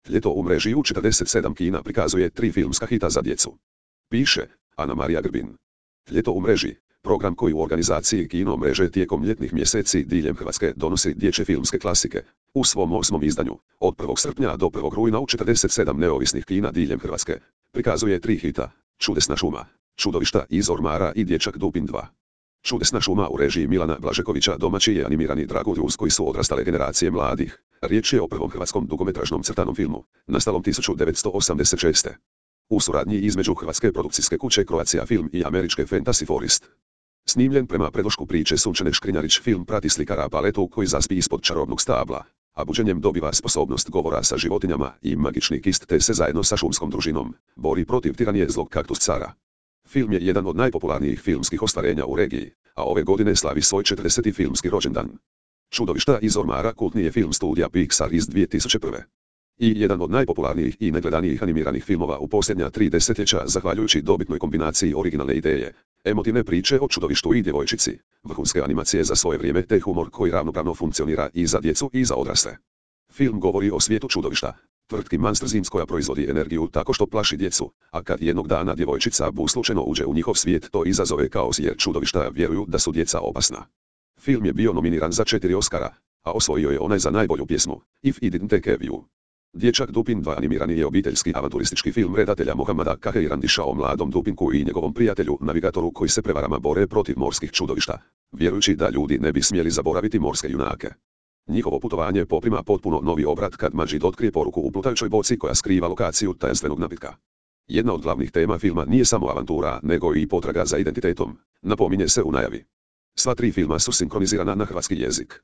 Ljeto u mreži u 47 kina prikazuje 3 filmska hita za djecu. Piše Ana Marija Grbin. Ljeto u mreži, program koji u organizaciji kino mreže tijekom ljetnih mjeseci diljem Hrvatske donosi dječje filmske klasike. U svom 8. izdanju, od 1. srpnja do 1. rujna u 47 neovisnih kina diljem Hrvatske, prikazuje 3 hita: Čudesna šuma, Čudovišta iz ormara i Dječak Dupin 2. Čudesna šuma u režiji Milana Blažekovića domaći je animirani dragulj uz koji su odrastale generacije mladih. Riječ je o prvom hrvatskom dugometražnom crtanom filmu, nastalom 1986. U suradnji između hrvatske produkcijske kuće Croatia Film i američke Fantasy Forest. Snimljen prema predlošku priče Sunčane Škrinjarić, film prati slikara Paletu koji zaspi ispod čarobnog stabla, a buđenjem dobiva sposobnost govora sa životinjama i magični kist te se zajedno sa šumskom družinom bori protiv tiranije zlog kaktus cara. Film je jedan od najpopularnijih filmskih ostvarenja u regiji, a ove godine slavi svoj 40. filmski rođendan. Čudovišta iz ormara kultni je film studija Pixar iz 2001. I jedan od najpopularnijih i najgledanijih animiranih filmova u posljednja 3 desetljeća zahvaljujući dobitnoj kombinaciji originalne ideje, emotivne priče o čudovištu i djevojčici, vrhunske animacije za svoje vrijeme te humor koji ravnopravno funkcionira i za djecu i za odrasle. Film govori o svijetu čudovišta, tvrtki Monsters Inc. koja proizvodi energiju tako što plaši djecu, a kad jednog dana djevojčica Bu slučajno uđe u njihov svijet to izazove kaos jer čudovišta vjeruju da su djeca opasna. Film je bio nominiran za 4 Oscara, a osvojio je onaj za najbolju pjesmu, If I Didn't Take You. Dječak Dupin 2 animirani je obiteljski avanturistički film redatelja Mohamada Kaheirandiša o mladom Dupinku i njegovom prijatelju navigatoru koji se prevarama bore protiv morskih čudovišta, vjerujući da ljudi ne bi smjeli zaboraviti morske junake. Njihovo putovanje poprima potpuno novi obrat kad Majid otkrije poruku u plutajućoj boci koja skriva lokaciju tajanstvenog napitka. Jedna od glavnih tema filma nije samo avantura, nego i potraga za identitetom, napominje se u najavi. Sva 3 filma su sinkronizirana na hrvatski jezik.